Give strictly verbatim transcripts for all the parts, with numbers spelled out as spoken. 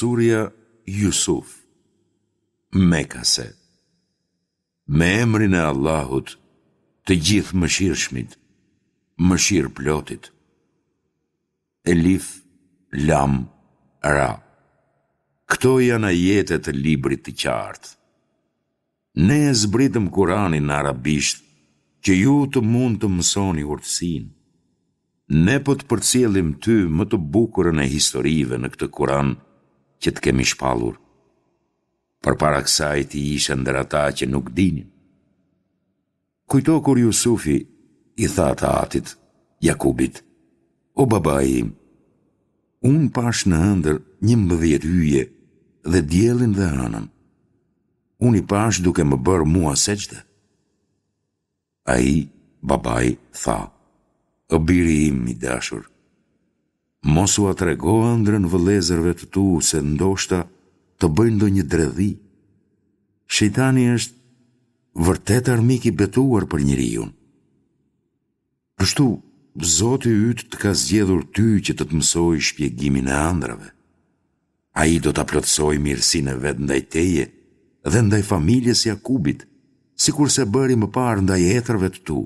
Surja Jusuf, Mekase. Me emrin e Allahut, të Gjithëmëshirshmit, Mëshirëplotit. Elif, Lam, Ra. Këto janë ajete të librit të qartë. Ne e zbritëm Kuranin në arabisht që ju të mund të mësoni urtësinë. Ne po të përcjellim ty më të bukurën e historive në këtë Kuran që të kemi shpallur. Përpara kësaj ti ishe ndër ata që nuk dinin. Kujto kur Jusufi i tha të atit, Jakubit, O babai im, unë pashë në ëndërr njëmbëdhjetë yje dhe diellin dhe hënën. Unë i pashë duke më bërë mua sexhde. Ai, babai, tha, O biri im i dashur, mos ua trego ëndrrën vëllezërve të tu se ndoshta të bëjnë ndonjë dredhi. Shejtani është vërtet armik i betuar për njeriun. Kështu, Zoti yt të ka zgjedhur ty që të të mësojë shpjegimin e ëndrrave. Ai do ta plotësojë mirësinë e vet ndaj teje dhe ndaj familjes së Jakubit, sikurse bëri më parë ndaj etërve të tu,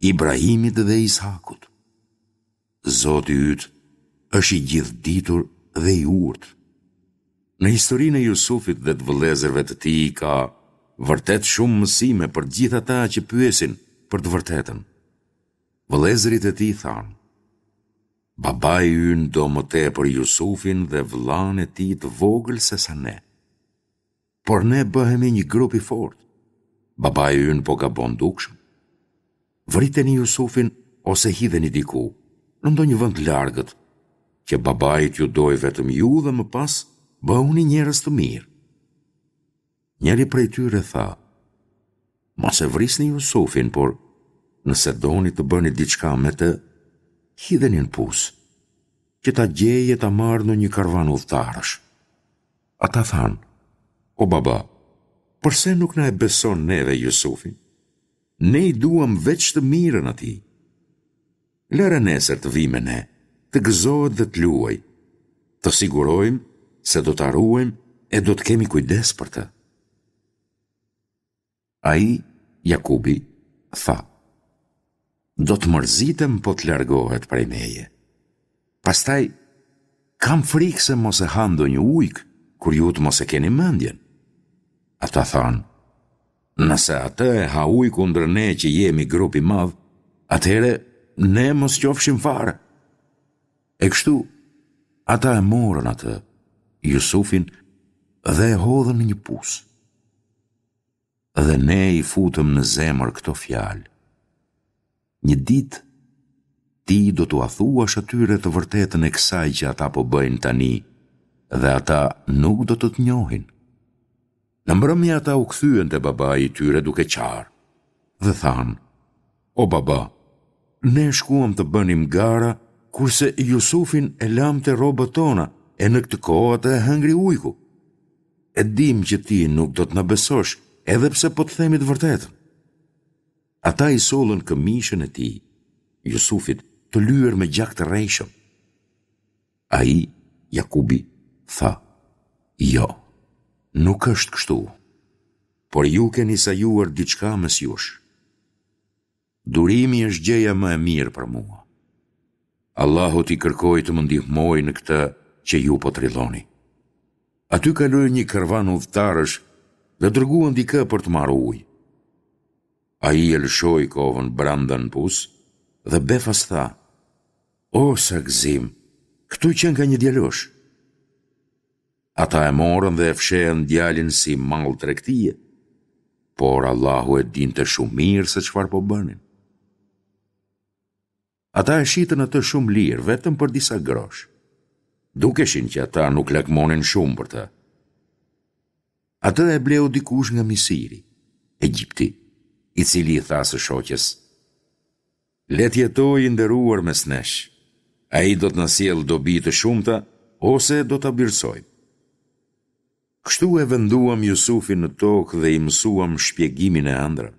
Ibrahimit dhe Isakut. Zoti yt është i gjithëditur dhe i urtë. Në historinë e Jusufit dhe të vëllezërve të tij ka vërtet shumë mësime për të gjithë ata që pyesin për të vërtetën. Vëllezërit e tij thanë, Babai ynë do më tepër Jusufin dhe vëllanë e tij të vogël sesa ne. Por ne bëhemi një grup i fortë. Babai ynë po gabon dukshëm. Vriteni Jusufin ose hidheni diku, në ndonjë vend të largët, që babai t'ju dojë vetëm ju dhe më pas bëhuni njerëz të mirë. Njëri prej tyre tha, Mos e vrisni Jusufin, por nëse doni të bëni diçka me të, hidheni në pus, që ta gjejë e ta marrë ndonjë karvan udhëtarësh. Ata thanë, O baba, përse nuk na e beson neve Jusufin? Ne i duam veç të mirën atij. Lëre nesër të vijë me ne, të gëzohet dhe të luajë. Të sigurojmë se do ta ruajmë e do të kemi kujdes për të. Ai, Jakubi, tha, Do të mërzitem po të largohet prej meje. Pastaj, kam frikë se mos e ha ndonjë ujk, kur ju të mos e keni mendjen. Ata thanë, Nëse atë e ha ujku ndër ne që jemi grup i madh, atëherë ne mos qofshim fare. E kështu, ata e morën atë, Jusufin, dhe e hodhën në një pus. Dhe ne i futëm në zemër këto fjalë. Një ditë, ti do t'ua thuash atyre të vërtetën e kësaj që ata po bëjnë tani dhe ata nuk do të të njohin. Në mbrëmje ata u kthyen te babai i tyre duke qarë dhe thanë, O baba, ne shkuam të bënim gara, kurse Jusufin e lamë te rrobat tona e në këtë kohë atë e hëngri ujku. E dimë që ti nuk do të na besosh, edhe pse po të themi të vërtetën. Ata i sollën këmishën e tij, Jusufit, të lyer me gjak të rrejshëm. Ai, Jakubi, tha, Jo, nuk është kështu, por ju keni sajuar diçka mes jush. Durimi është gjëja më e mirë për mua. Allahut i kërkoj të më ndihmojë në këtë që ju po trilloni. Aty kaloi një karvan udhëtarësh dhe dërguan dikë për të marrë ujë. Ai e lëshoi kovën brenda në pus dhe befas tha, O sa gëzim, këtu qenka një djalosh. Ata e morën dhe e fshehën djalin si mall tregtie, por Allahu e dinte shumë mirë se çfarë po bënin. Ata e shitën atë shumë lirë, vetëm për disa grosh. Dukeshin që ata nuk lakmonin shumë për të. Atë e bleu dikush nga Misiri, Egjipti, i cili i tha së shoqes, Le të jetojë i nderuar mes nesh. Ai do të na sjellë dobi të shumta ose do ta birësojmë. Kështu e venduam Jusufin në tokë dhe i mësuam shpjegimin e ëndrrave.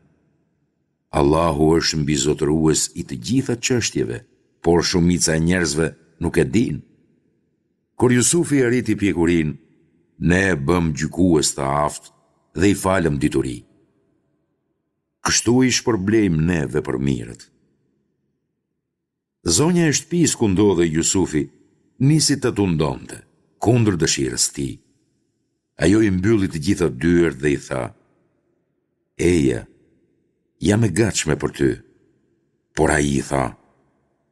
Allahu është mbizotërues i të gjitha çështjeve, por shumica e njerëzve nuk e dinë. Kur Jusufi arriti pjekurinë, ne e bëmë gjykues të aftë dhe i falëm dituri. Kështu i shpërblejmë ne vepërmirët. Zonja e shtëpisë ku ndodhej Jusufi nisi ta tundonte, kundër dëshirës së tij. Ajo i mbylli të gjitha dyert dhe i tha, Eja, jam e gatshme për ty. Por ai i tha,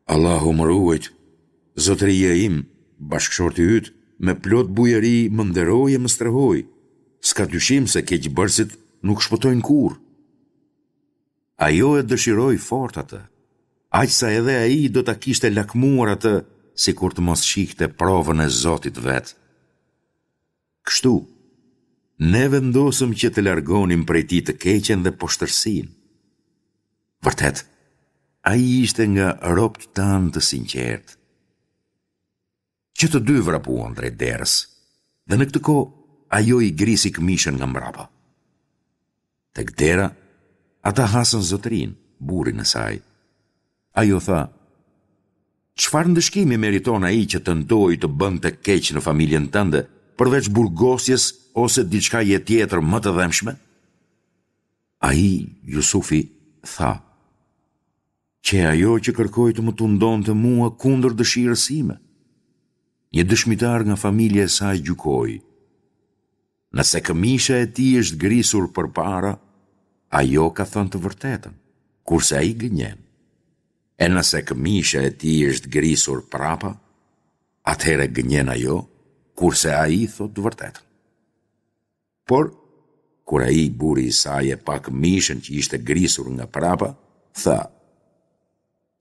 Allahu më ruajt, zotëria im, bashkëshorti yt, me plot bujari më nderoi e më strehoi. S'ka dyshim se keqbërësit nuk shpëtojnë kurrë. Ajo e dëshiroi fort atë, aq sa edhe ai do ta kishte lakmuar atë sikur të mos shihte provën e Zotit të vet. Kështu, ne vendosëm që të largonim prej tij të keqen dhe poshtërsinë. Vërtet, ai ishte nga robët tanë të sinqertë. Që të dy vrapuan drejt derës, dhe në këtë kohë ajo i grisi këmishën nga mbrapa. Tek dera, ata hasën zotërinë, burrin e saj. Ajo tha, Çfarë ndëshkimi meriton ai që tentoi të bënte keq në familjen tënde, përveç burgosjes ose diçkaje tjetër më të dhembshme? Ai, Jusufi, tha, Qe ajo që kërkoi të më tundonte mua kundër dëshirës sime. Një dëshmitar nga familja e saj gjykoi, Nëse këmisha e tij është grisur përpara, ajo ka thënë të vërtetën, kurse ai gënjen. E nëse këmisha e tij është grisur prapa, atëherë gënjen ajo, kurse ai thotë të vërtetën. Por, kur ai burri i saj e pa këmishën që ishte grisur nga prapa, tha,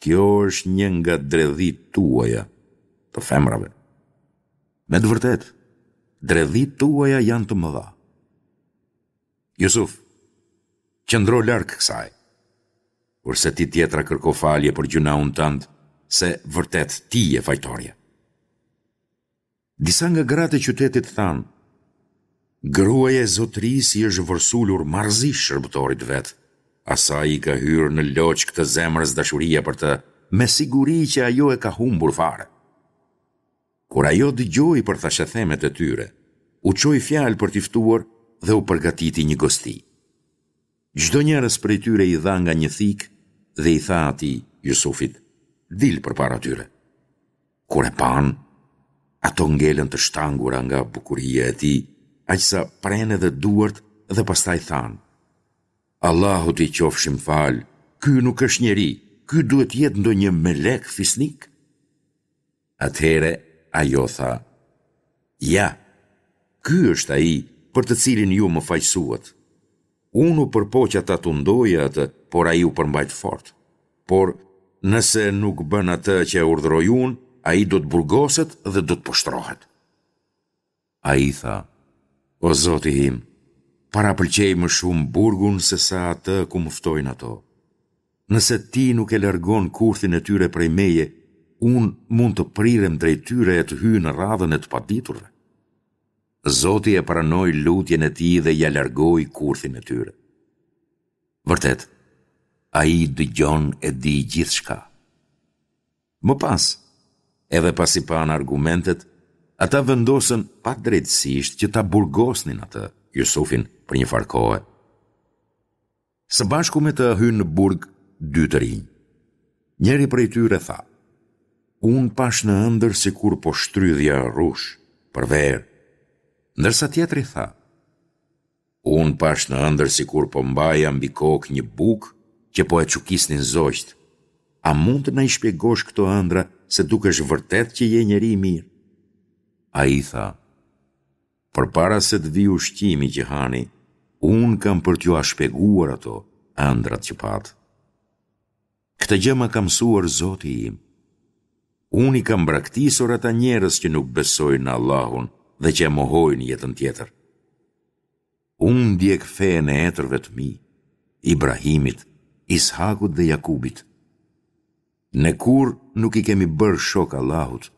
Kjo është një nga dredhitë tuaja, të femrave. Me të vërtetë, dredhitë tuaja janë të mëdha. Jusuf, qëndro larg kësaj. Kurse ti tjetra kërko falje për gjynahun tënd, se vërtet ti je fajtorja. Disa nga gratë e qytetit thanë, Gruaja e zotërisë i është vërsulur marrëzisht shërbëtorit të vet. Asaj i ka hyrë në loçkë të zemrës dashuria për të, me siguri që ajo e ka humbur fare. Kur ajo dëgjoi për thashethemet e tyre, u çoi fjalë për t'i ftuar dhe u përgatiti një gosti. Çdonjërës prej tyre i dha nga një thikë dhe i tha atij, Jusufit, Dil përpara tyre. Kur e panë, ato ngelën të shtangura nga bukuria e tij, aq sa prenë edhe duart dhe pastaj thanë, Allahut i qofshim falë, ky nuk është njeri, ky duhet të jetë ndonjë melek fisnik. Atëherë ajo tha, Ja, ky është ai për të cilin ju më fajësuat. Unë u përpoqa ta tundoja atë, por ai u përmbajt fort. Por, nëse nuk bën atë që e urdhëroj unë, ai do të burgoset dhe do të poshtërohet. Ai tha, O Zoti im, parapëlqej më shumë burgun sesa atë ku më ftojnë ato. Nëse ti nuk e largon kurthin e tyre prej meje, unë mund të prirem drejt tyre e të hyj në radhën e të paditurve. Zoti e pranoi lutjen e tij dhe ia largoi kurthin e tyre. Vërtet, Ai dëgjon e di gjithçka. Më pas, edhe pasi panë argumentet, ata vendosën padrejtësisht që ta burgosnin atë, Jusufin, për një farë kohe. Së bashku me të hynë në burg dy të rinj. Njëri prej tyre tha, Unë pashë në ëndërr sikur po shtrydhja rrush, për verë. Ndërsa tjetri tha, Unë pashë në ëndërr sikur po mbaja mbi kokë një bukë që po e çukisnin zogjtë. A mund të na i shpjegosh këto ëndrra se dukesh vërtet që je njeri i mirë? Ai tha, Përpara se të vijë ushqimi që hani, unë kam për t'jua shpjeguar ato, ëndrrat që patë. Këtë gjë ma ka mësuar Zoti im. Unë i kam braktisur ata njerëz që nuk besojnë në Allahun dhe që e mohojnë jetën tjetër. Unë ndjek fenë e etërve të mi, Ibrahimit, Ishakut dhe Jakubit. Ne kurrë nuk i kemi bërë shok Allahut.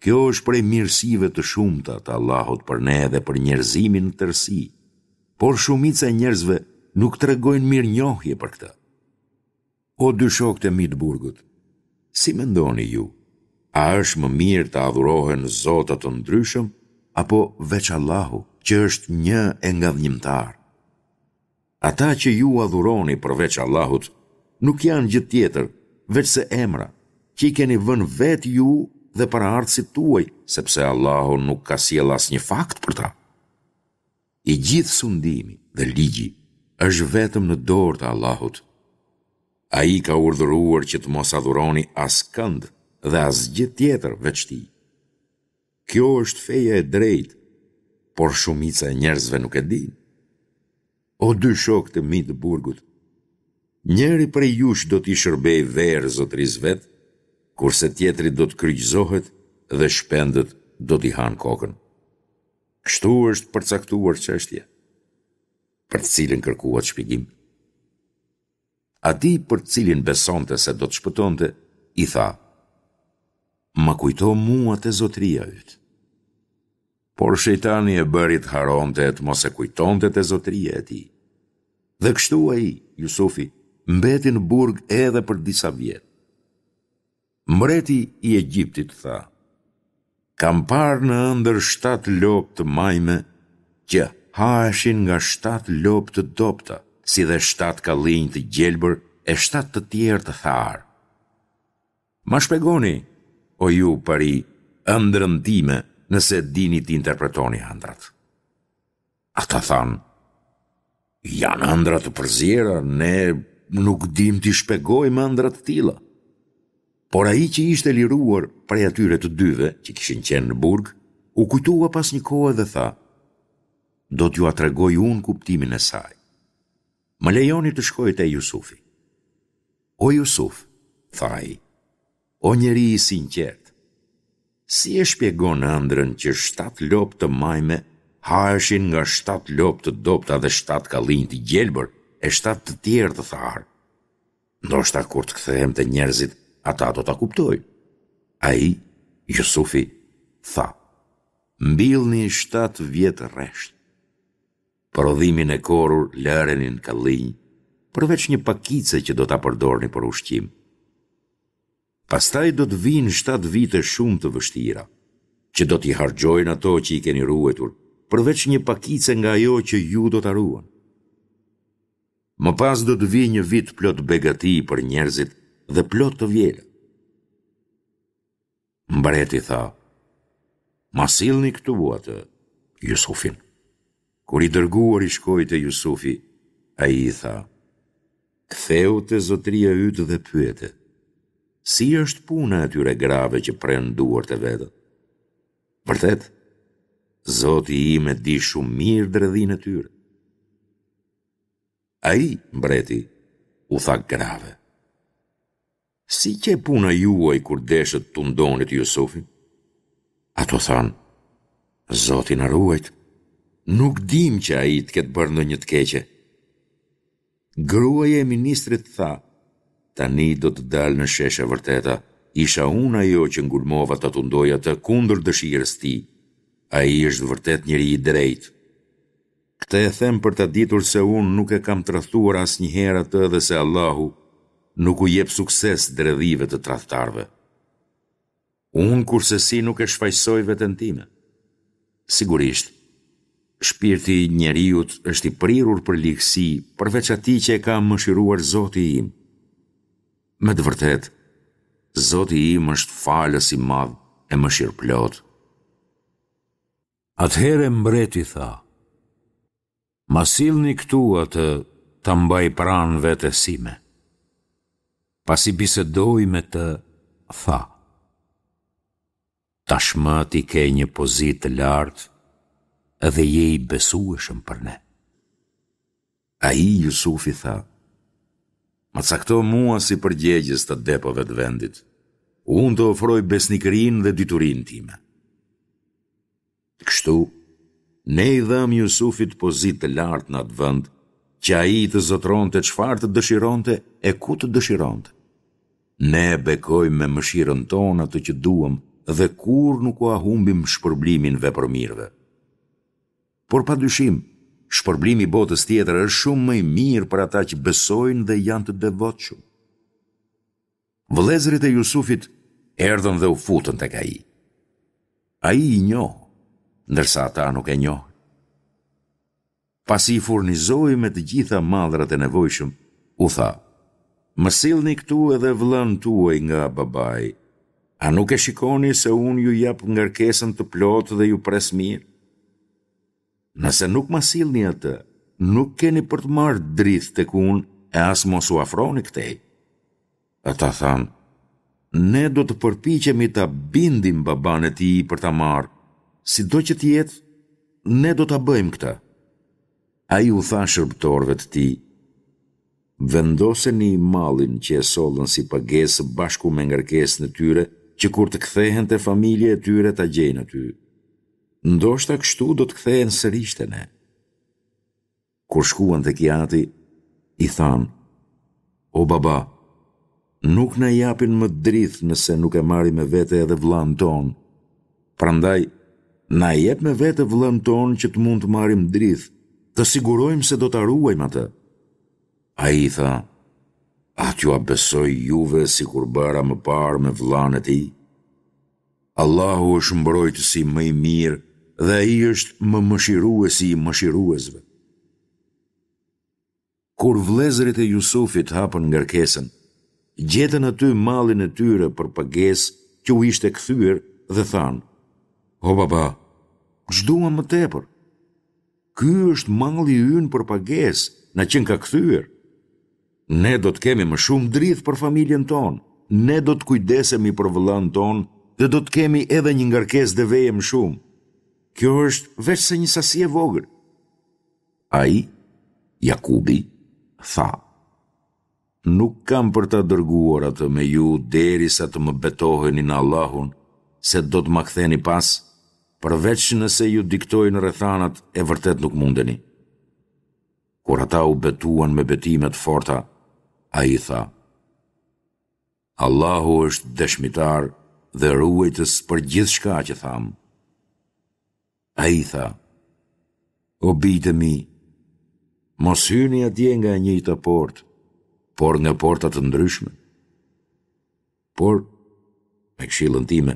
Kjo është prej mirësive të shumta të Allahut për ne dhe për njerëzimin në tërësi, por shumica e njerëzve nuk tregojnë mirënjohje për këtë. O dy shokët e mi të burgut, si mendoni ju, A është më mirë të adhurohen zota të ndryshëm apo veç Allahu, që është një e ngadhnjimtar? Ata që ju adhuroni përveç Allahut nuk janë gjë tjetër veçse emra, që i keni vënë vetë ju dhe paraardhësit tuaj, sepse Allahu nuk ka sjellë asnjë fakt për ta. I gjithë sundimi dhe ligji është vetëm në dorë të Allahut. Ai ka urdhëruar që të mos adhuroni askënd dhe asgjë tjetër veç Tij. Kjo është feja e drejtë, por shumica e njerëzve nuk e dinë. O dy shokë të mi të burgut, njëri prej jush do t'i shërbejë verë zotërisë vet, kurse tjetri do të kryqëzohet dhe shpendët do t'i hanë kokën. Kështu është përcaktuar çështja, për të cilën kërkuat shpjegim. Atij për të cilin besonte se do të shpëtonte, i tha, Më kujto mua te zotëria yt. Por shejtani e bëri të harronte e të mos e kujtonte te zotëria e tij. Dhe kështu ai, Jusufi, mbeti në burg edhe për disa vjet. Mbreti i Egjiptit tha, Kam parë në ëndërr shtatë lopë të majme që haheshin nga shtatë lopë të dobëta, si dhe shtatë kallinj të gjelbër e shtatë të tjerë të tharë. Ma shpjegoni, o ju pari, ëndrrën time nëse dini t'i interpretoni ëndrrat. Ata thanë, janë ëndrra të përziera, ne nuk dimë t'i shpjegojmë ëndrra të tilla. Por ai që ishte liruar prej atyre të dyve që kishin qenë në burg, u kujtua pas një kohe dhe tha, do t'jua tregoj unë kuptimin e saj. Më lejoni të shkoj te Jusufi. O Jusuf, tha ai, o njeri i sinqertë, si e shpjegon ëndrrën që shtatë lopë të majme haheshin nga shtatë lopë të dobëta dhe shtatë kallinj të gjelbër e shtatë të tjerë të tharë? Ndoshta kur të kthehem te njerëzit, ata do ta kuptojnë. Ai, Jusufi, tha, Mbillni shtatë vjet rresht. Prodhimin e korrur lëreni në kallinj, përveç një pakice që do ta përdorni për ushqim. Pastaj do të vijnë shtatë vite shumë të vështira, që do t'i harxhojnë ato që i keni ruajtur, përveç një pakice nga ajo që ju do ta ruani. Më pas do të vijë një vit plot begati për njerëzit dhe plot të vjella. Mbreti tha, Ma sillni këtu atë, Jusufin. Kur i dërguari shkoi te Jusufi, ai i tha, Kthehu te zotëria yt dhe pyete, si është puna e atyre grave që prenë duart e veta? Vërtet, Zoti im e di shumë mirë dredhinë e tyre. Ai, mbreti, u tha grave, Si qe puna juaj kur deshët të tundonit Jusufin? Ato thanë, Zoti na ruajt, nuk dimë që ai të ketë bërë ndonjë të keqe. Gruaja e ministrit tha, tani do të dalë në shesh e vërteta, isha unë ajo që ngulmova ta tundoj atë kundër dëshirës tij. Ai është vërtet njeri i drejtë. Këtë e them për ta ditur se unë nuk e kam tradhtuar asnjëherë atë dhe se Allahu nuk u jep sukses dredhive të tradhtarëve. Unë kurrsesi nuk e shfajësoj veten time. Sigurisht, shpirti i njeriut është i prirur për ligësi përveç atij që e ka mëshiruar Zoti im. Me të vërtetë, Zoti im është falës i madh e mëshirëplotë. Atëherë mbreti tha, Ma sillni këtu atë ta mbaj pranë vetes sime. Pasi bisedoi me të, tha, Tashmë ti ke një pozitë të lartë dhe je i besueshëm për ne. Ai, Jusufi, tha, Më cakto mua si përgjegjës të depove të vendit. Unë të ofroj besnikërinë dhe diturinë time. Kështu, ne i dhamë Jusufit pozitë të lartë në atë vend, që ai të zotëronte çfarë të dëshironte e ku të dëshironte. Ne e bekojmë me mëshirën tonë atë që duam dhe kurrë nuk ua humbim shpërblimin vepërmirëve. Por pa dyshim, shpërblimi i botës tjetër është shumë më i mirë për ata që besojnë dhe janë të devotshëm. Vëllezërit e Jusufit erdhën dhe u futën tek ai. Ai i njohu, ndërsa ata nuk e njohën. Pasi i furnizoi me të gjitha mallrat e nevojshëm, u tha, Më sillni këtu edhe vëllanë tuaj nga babai. A nuk e shikoni se unë ju jap ngarkesën të plotë dhe ju pres mirë? Nëse nuk ma sillni atë, nuk keni për të marrë drithë tek unë e as mos u afroni këtej. Ata thanë, Ne do të përpiqemi ta bindim babanë e tij për ta marrë, sido që të jetë, ne do ta bëjmë këtë. Ai u tha shërbëtorëve të tij, Vendoseni mallin që e sollën si pagesë së bashku me ngarkesën e tyre që kur të kthehen te familja e tyre ta gjejnë aty. Ndoshta kështu do të kthehen sërish te ne. Kur shkuan tek i ati, i thanë, O baba, nuk na japin më drithë nëse nuk e marrim me vete edhe vëllanë tonë. Prandaj, na e jep me vete vëllanë tonë që të mund të marrim drithë, të sigurojmë se do ta ruajmë atë. Ai i tha, A t'jua besoj juve sikur bëra më parë me vëllanë e tij? Allahu është mbrojtësi më i mirë dhe Ai është më mëshiruesi i mëshiruesve. Kur vëllezërit e Jusufit hapën ngarkesën, gjetën aty mallin e tyre për pagesë që u ishte kthyer dhe thanë, O baba, ç'duam më tepër? Ky është malli ynë për pagesë, na qenka kthyer. Ne do të kemi më shumë drithë për familjen tonë, ne do të kujdesemi për vëllanë tonë dhe do të kemi edhe një ngarkesë deveje më shumë. Kjo është veçse një sasi e vogël. Ai, Jakubi, tha, Nuk kam për ta dërguar atë me ju derisa të më betoheni në Allahun se do të ma ktheni pas, përveç nëse ju diktojnë rrethanat e vërtet nuk mundeni. Kur ata u betuan me betime të forta, ai tha, Allahu është dëshmitar dhe ruajtës për gjithçka që thamë. Ai tha, O bijtë e mi, mos hyni atje nga e njëjta portë, por nga porta të ndryshme. Por, me këshillën time,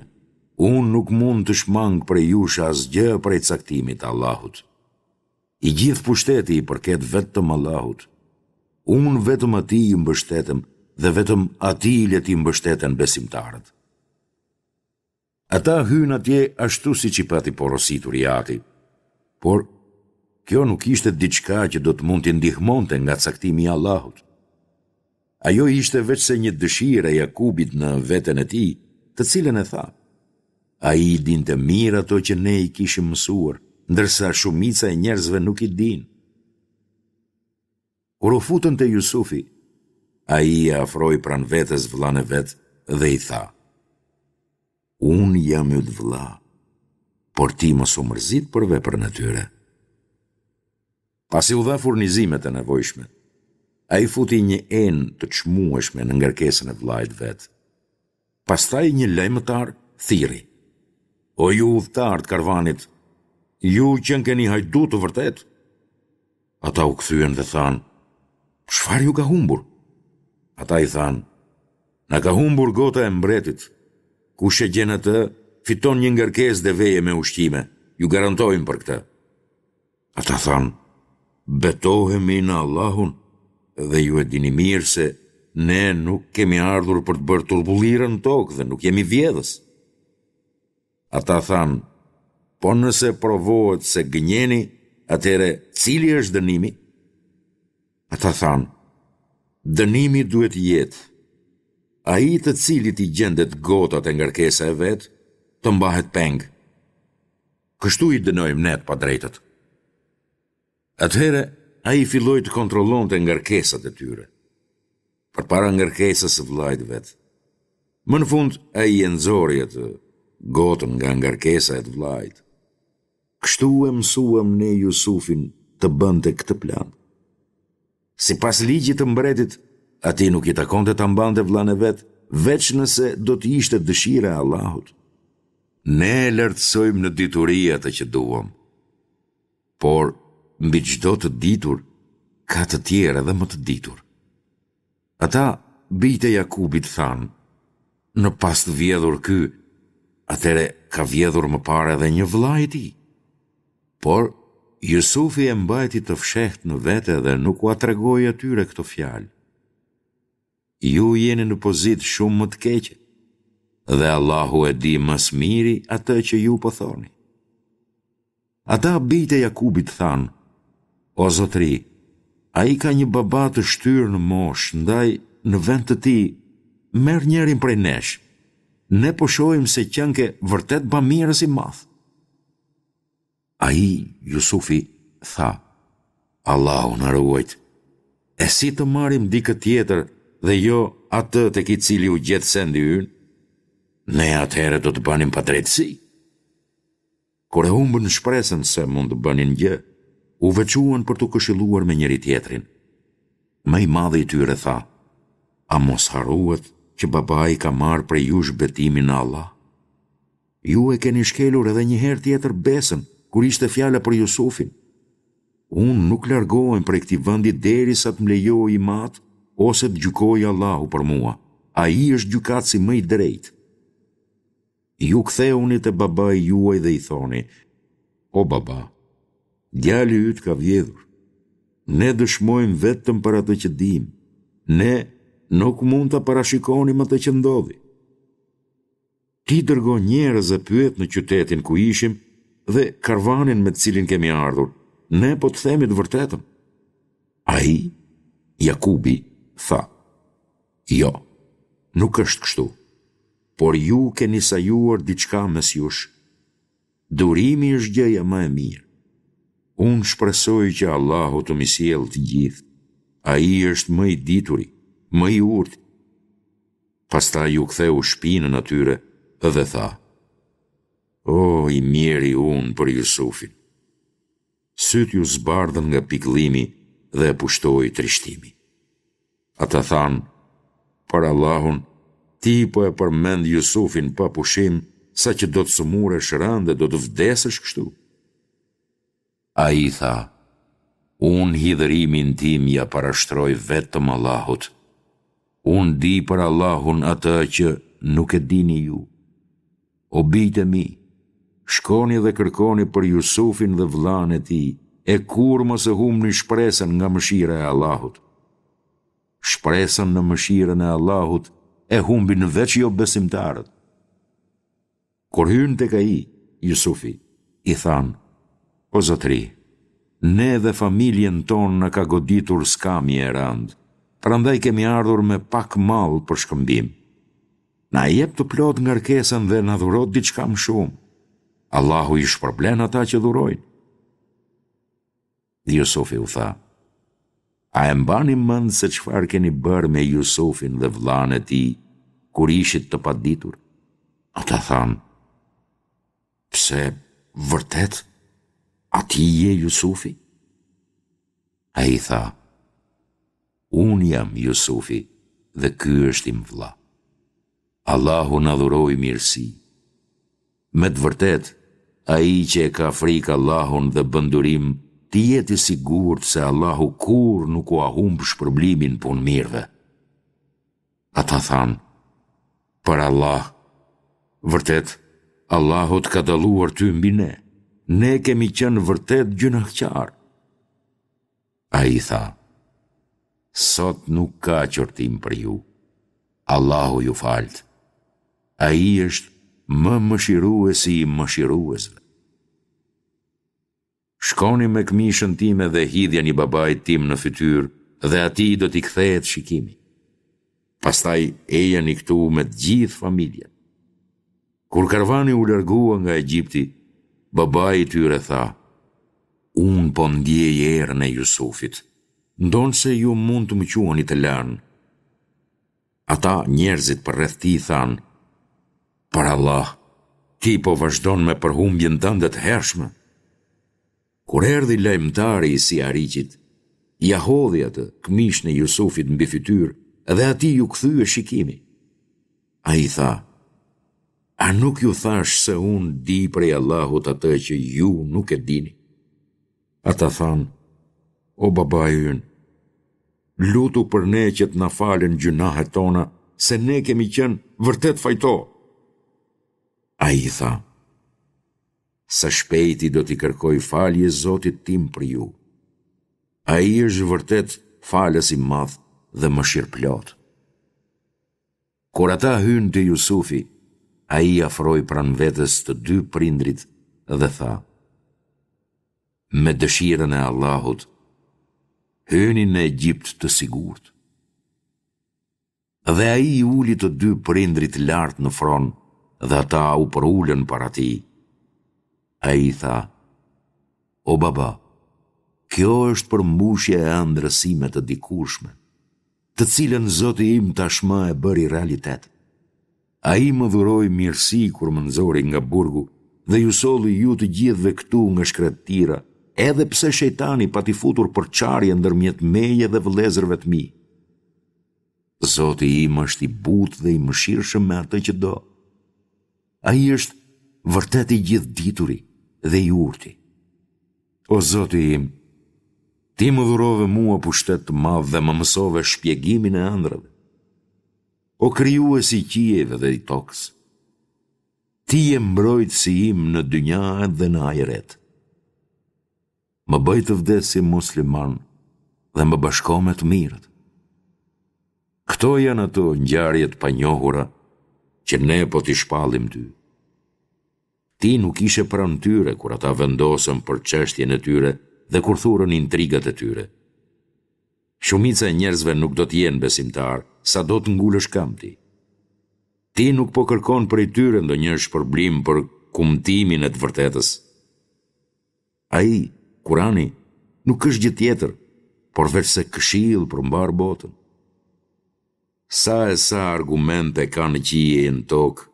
unë nuk mund të shmang prej jush asgjë prej caktimit të Allahut. I gjithë pushteti i përket vetëm Allahut. Unë vetëm atij i mbështetem dhe vetëm atij le t'i mbështeten besimtarët. Ata hynë atje ashtu siç i pati porositur i ati. Por, kjo nuk ishte diçka që do të mund t'i ndihmonte nga caktimi i Allahut. Ajo ishte veçse një dëshirë e Jakubit në veten e tij, të cilën e tha. Ai i dinte mirë ato që ne i kishim mësuar, ndërsa shumica e njerëzve nuk i dinë. Kur u futën te Jusufi, ai e afroi pranë vetes vëllanë e vet dhe i tha, Unë jam yt vëlla, por ti mos u mërzit për veprën e tyre. Pasi u dha furnizimet e nevojshme, ai futi një enë të çmueshme në ngarkesën e vëllait të vet. Pastaj një lajmëtar thirri, O ju udhëtarë të karvanit, ju qenkeni hajdutë të vërtetë! Ata u kthyen dhe thanë, Çfarë ju ka humbur? Ata i thanë, Na ka humbur gota e mbretit. Kush e gjen atë, fiton një ngarkesë deveje me ushqime, ju garantojmë për këtë. Ata thanë, Betohemi në Allahun dhe ju e dini mirë se ne nuk kemi ardhur për të bërë turbullira në tokë dhe nuk jemi vjedhës. Ata thanë, Po nëse provohet se gënjeni, atëherë cili është dënimi? Ata thanë, Dënimi duhet të jetë, ai të cilit i gjendet gota te ngarkesa e vet, të mbahet peng. Kështu i dënojmë ne të padrejtët. Atëherë ai filloi të kontrollonte ngarkesat e tyre, përpara ngarkesës së vëllait të vet. Më në fund ai e nxori atë gotën nga ngarkesa e të vëllait. Kështu e mësuam ne Jusufin të bënte këtë plan. Sipas ligjit të mbretit, atij nuk i takonte ta mbante vëllanë e vet, veç nëse do të ishte dëshira e Allahut. Ne e lartësojmë në dituri atë që duam. Por, mbi çdo të ditur, ka të tjerë edhe më të ditur. Ata, bijtë e Jakubit, thanë, Në pastë vjedhur ky, atëherë ka vjedhur më parë edhe një vëlla i tij. Por Jusufi e mbajti të fshehtë në vete dhe nuk ua tregoi atyre këto fjalë. Ju jeni në pozitë shumë më të keqe dhe Allahu e di më së miri atë që ju po thoni. Ata bijtë e Jakubit thanë, O zotëri, ai ka një baba të shtyrë në moshë, ndaj në vend të tij, merr njërin prej nesh. Ne po shohim se qenke vërtet bamirës i madh. Ai, Jusufi, tha, Allahu na ruajtë, e si të marrim dikë tjetër dhe jo atë tek i cili u gjet sendi ynë? Ne atëherë do të bënim padrejtësi. Kur e humbën shpresën se mund të bënin gjë, u veçuan për t'u këshilluar me njëri-tjetrin. Më i madhi i tyre tha, A mos harruat që babai ka marrë prej jush betimin në Allah? Ju e keni shkelur edhe një herë tjetër besën, kur ishte fjala për Jusufin. Unë nuk largohem prej këtij vendi derisa të më lejojë im atë ose të gjykojë Allahu për mua. Ai është gjykatësi më i drejtë. Ju kthehuni te babai juaj dhe i thoni, O baba, djali yt ka vjedhur. Ne dëshmojmë vetëm për atë që dimë. Ne nuk mund ta parashikonim atë që ndodhi. Ti dërgo njerëz e pyet në qytetin ku ishim dhe karvanin me të cilin kemi ardhur. Ne po të themi të vërtetën. Ai, Jakubi, tha, Jo, nuk është kështu, por ju keni sajuar diçka mes jush. Durimi është gjëja më e mirë. Unë shpresoj që Allahu të m'i sjellë të gjithë. Ai është më i dituri, më i urti. Pastaj u ktheu shpinën atyre dhe tha, O, i mjeri unë për Jusufin! Sytë iu zbardhën nga pikëllimi dhe e pushtoi trishtimi. Ata thanë, Për Allahun, ti po e përmend Jusufin pa pushim, saqë do të sëmuresh rëndë e do të vdesësh kështu. Ai tha, Unë hidhërimin tim ia parashtroj vetëm Allahut. Unë di për Allahun atë që nuk e dini ju. O bijtë e mi, shkoni dhe kërkoni për Jusufin dhe vëllanë e tij, e kurrë mos e humbni shpresën nga mëshira e Allahut. Shpresën në mëshirën e Allahut e humbin veç jobesimtarët. Kur hynë tek ai, Jusufi, i thanë, O zotëri, ne dhe familjen tonë na ka goditur skamje e rëndë, prandaj kemi ardhur me pak mall për shkëmbim. Na e jep të plotë ngarkesën dhe na dhuro diçka më shumë. Allahu i shpërblen ata që dhurojnë. Jusufi u tha, A e mbani mend se çfarë keni bërë me Jusufin dhe vëllanë e tij, kur ishit të paditur? Ata thanë, Pse, vërtet, a ti je Jusufi? Ai tha, Unë jam Jusufi dhe ky është im vëlla. Allahu na dhuroi mirësi. Me të vërtetë, ai që e ka frikë Allahun dhe bën durim, të jetë i sigurt se Allahu kurrë nuk ua humb shpërblimin punëmirëve. Ata thanë, Për Allah, vërtet, Allahu të ka dalluar ty mbi ne, ne kemi qenë vërtet gjynahqarë. Ai tha, Sot nuk ka qortim për ju. Allahu ju faltë. Ai është më mëshiruesi i mëshiruesve. Shkoni me këmishën time dhe hidhjani babait tim në fytyrë dhe atij do t'i kthehet shikimi. Pastaj ejani këtu me të gjithë familjen. Kur karvani u largua nga Egjipti, babai i tyre tha, Unë po ndiej erën e Jusufit, ndonëse ju mund të më quani të lënë. Ata, njerëzit përreth tij, thanë, Për Allah, ti po vazhdon me përhumbjen tënde të hershme. Kur erdhi lajmëtari i sihariqit, ia hodhi atë, këmishën e Jusufit mbi fytyrë dhe atij iu kthye shikimi. Ai tha, A nuk ju thashë se unë di prej Allahut atë që ju nuk e dini? Ata thanë, O babai ynë, lutu për ne që të na falen gjynahet tona, se ne kemi qenë vërtet fajtorë. Ai i tha, Së shpejti do t'i kërkoj falje Zotit tim për ju. Ai është vërtet falës i madh dhe mëshirëplotë. Kur ata hynë te Jusufi, ai i afroi pranë vetes të dy prindërit dhe tha, Me dëshirën e Allahut, hyni në Egjipt të sigurt. Dhe ai i uli të dy prindërit lart në fron dhe ata u përulën para tij. Ai tha, O baba, kjo është përmbushja e ëndrrës sime të dikurshme, të cilën Zoti im tashmë e bëri realitet. Ai më dhuroi mirësi kur më nxori nga burgu dhe ju solli ju të gjithëve këtu nga shkretëtira, edhe pse shejtani pati futur përçarje ndërmjet meje dhe vëllezërve të mi. Zoti im është i butë dhe i mëshirshëm me atë që do. Ai është vërtet i gjithëdituri dhe i urti. O Zoti im, Ti më dhurove mua pushtet të madh dhe më mësove shpjegimin e ëndrrave. O Krijues i qiejve dhe i tokës, Ti je mbrojtësi im në dynja dhe në ahiret. Më bëj të vdes si musliman dhe më bashko me të mirët. Këto janë ato ngjarje të panjohura që ne po t'i shpallim ty. Ti nuk ishe pranë tyre kur ata vendosën për çështjen e tyre dhe kur thurën intrigat e tyre. Shumica e njerëzve nuk do të jenë besimtarë, sado të ngulësh këmbë ti. Ti nuk po kërkon prej tyre ndonjë shpërblim për kumtimin e të vërtetës. Ai, Kurani, nuk është gjë tjetër, por veçse këshillë për mbarë botën. Sa e sa argumente ka në qiej e në tokë,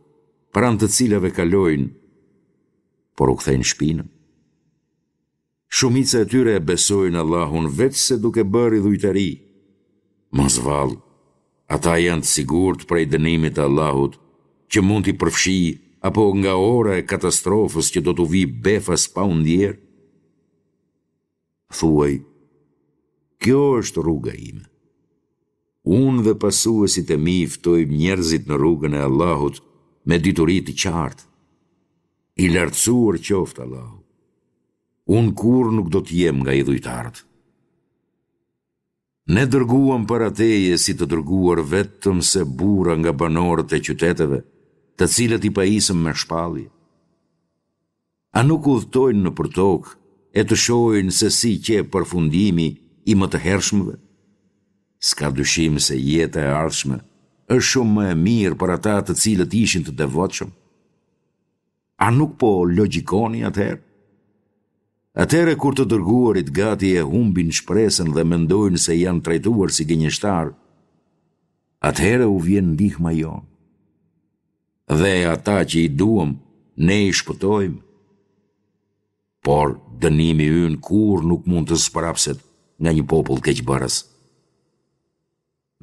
pranë të cilave kalojnë, por u kthejnë shpinën. Shumica e tyre e besojnë Allahun veçse duke bërë idhujtari. Mos vallë, ata janë të sigurt prej dënimit të Allahut, që mund t'i përfshijë apo nga ora e katastrofës që do t'u vijë befas pa u ndjerë? Thuaj, kjo është rruga ime. Unë dhe pasuesit e mi ftojmë njerëzit në rrugën e Allahut me dituri të qartë. I lartësuar qoftë Allahu. Unë kurrë nuk do të jem nga idhujtarët. Ne dërguam para teje si të dërguar vetëm se burra nga banorët e qyteteve, të cilët i pajisëm me shpallje. A nuk udhëtojnë nëpër tokë e të shohin se si qe përfundimi i më të hershmëve? S'ka dyshim se jeta e ardhshme është shumë më e mirë për ata të cilët ishin të devotshëm. A nuk po logjikoni atëherë? Atëherë kur të dërguarit gati e humbin shpresën dhe mendojnë se janë trajtuar si gënjeshtarë, atëherë u vjen ndihma jonë. Dhe ata që i duam, ne i shpëtojmë. Por dënimi ynë kurrë nuk mund të zmbrapset nga një popull keqbërës.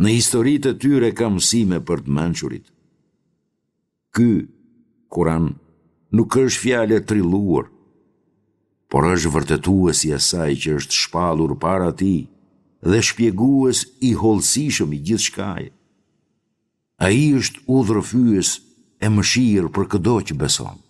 Në historitë e tyre ka mësime për të mençurit. Ky Kuran nuk është fjalë e trilluar, por është vërtetues i asaj që është shpallur para tij dhe shpjegues i hollësishëm i gjithçkaje. Ai është udhërrëfyes e mëshirë për këdo që beson.